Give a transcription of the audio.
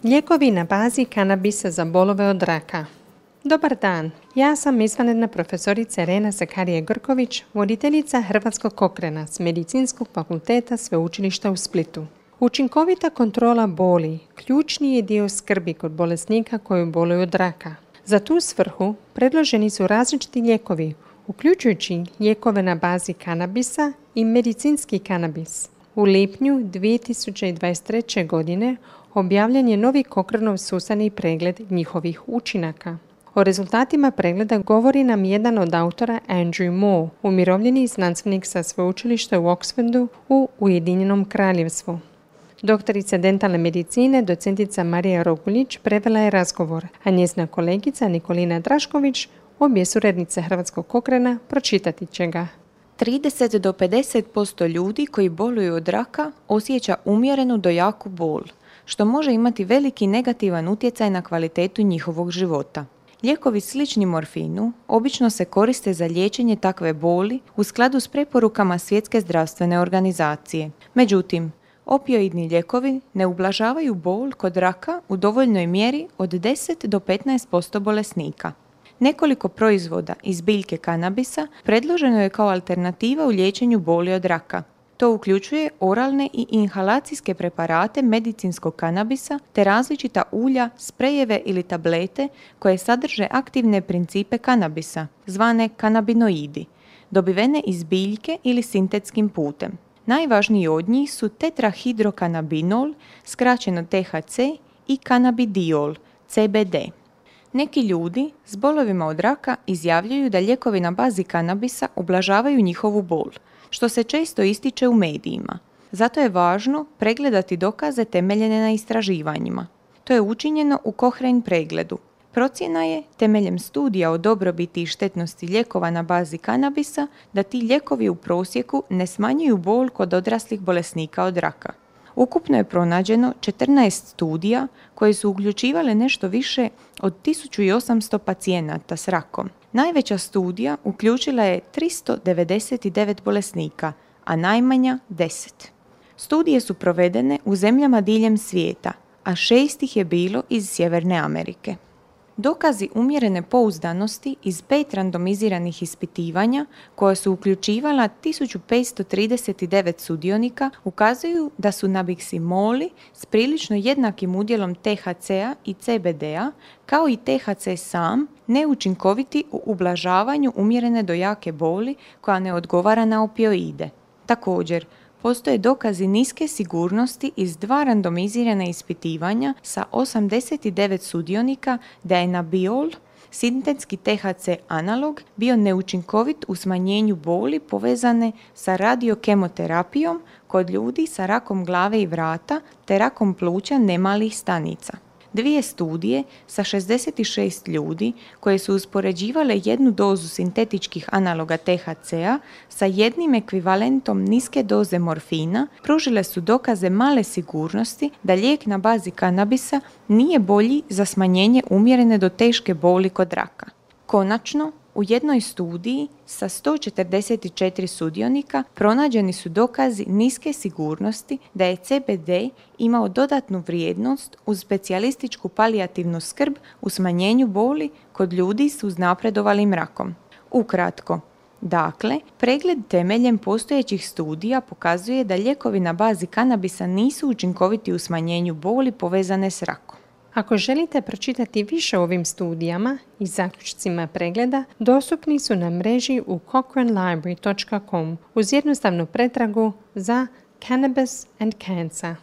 Lijekovi na bazi kanabisa za bolove od raka. Dobar dan, ja sam izvanredna profesorica Irena Sakarije-Grković, voditeljica Hrvatskog Cochrana s Medicinskog fakulteta Sveučilišta u Splitu. Učinkovita kontrola boli ključni je dio skrbi kod bolesnika koji boluju od raka. Za tu svrhu predloženi su različiti lijekovi, uključujući lijekove na bazi kanabisa i medicinski kanabis. U lipnju 2023. godine objavljen je novi Cochranov sustavni pregled njihovih učinaka. O rezultatima pregleda govori nam jedan od autora, Andrew Moore, umirovljeni znanstvenik sa sveučilišta u Oxfordu u Ujedinjenom Kraljevstvu. Doktorica dentalne medicine, docentica Marija Roguljić, prevela je razgovor, a njezina kolegica Nikolina Drašković, obje suradnice Hrvatskog Cochrana, pročitati će ga. 30 do 50% ljudi koji boluju od raka osjeća umjerenu do jaku bol, što može imati veliki negativan utjecaj na kvalitetu njihovog života. Lijekovi slični morfinu obično se koriste za liječenje takve boli u skladu s preporukama Svjetske zdravstvene organizacije. Međutim, opioidni lijekovi ne ublažavaju bol kod raka u dovoljnoj mjeri od 10 do 15% bolesnika. Nekoliko proizvoda iz biljke kanabisa predloženo je kao alternativa u liječenju boli od raka. To uključuje oralne i inhalacijske preparate medicinskog kanabisa te različita ulja, sprejeve ili tablete koje sadrže aktivne principe kanabisa, zvane kanabinoidi, dobivene iz biljke ili sintetskim putem. Najvažniji od njih su tetrahidrokanabinol, skraćeno THC, i kanabidiol, CBD. Neki ljudi s bolovima od raka izjavljuju da lijekovi na bazi kanabisa ublažavaju njihovu bol, što se često ističe u medijima. Zato je važno pregledati dokaze temeljene na istraživanjima. To je učinjeno u Cochrane pregledu. Procjena je, temeljem studija o dobrobiti i štetnosti lijekova na bazi kanabisa, da ti lijekovi u prosjeku ne smanjuju bol kod odraslih bolesnika od raka. Ukupno je pronađeno 14 studija koje su uključivale nešto više od 1800 pacijenata s rakom. Najveća studija uključila je 399 bolesnika, a najmanja 10. Studije su provedene u zemljama diljem svijeta, a 6 ih je bilo iz Sjeverne Amerike. Dokazi umjerene pouzdanosti iz 5 randomiziranih ispitivanja, koja su uključivala 1539 sudionika, ukazuju da su nabiksimoli s prilično jednakim udjelom THC-a i CBD-a, kao i THC sam, neučinkoviti u ublažavanju umjerene do jake boli koja ne odgovara na opioide. Također, postoje dokazi niske sigurnosti iz 2 randomizirana ispitivanja sa 89 sudionika da je nabiol, sintetski THC analog, bio neučinkovit u smanjenju boli povezane sa radiokemoterapijom kod ljudi sa rakom glave i vrata te rakom pluća nemalih stanica. 2 studije sa 66 ljudi koje su uspoređivale jednu dozu sintetičkih analoga THC-a sa jednim ekvivalentom niske doze morfina pružile su dokaze male sigurnosti da lijek na bazi kanabisa nije bolji za smanjenje umjerene do teške boli kod raka. Konačno, u jednoj studiji sa 144 sudionika pronađeni su dokazi niske sigurnosti da je CBD imao dodatnu vrijednost uz specijalističku palijativnu skrb u smanjenju boli kod ljudi s uznapredovalim rakom. Ukratko, dakle, pregled temeljem postojećih studija pokazuje da lijekovi na bazi kanabisa nisu učinkoviti u smanjenju boli povezane s rakom. Ako želite pročitati više o ovim studijama i zaključcima pregleda, dostupni su na mreži u cochranelibrary.com uz jednostavnu pretragu za Cannabis and Cancer.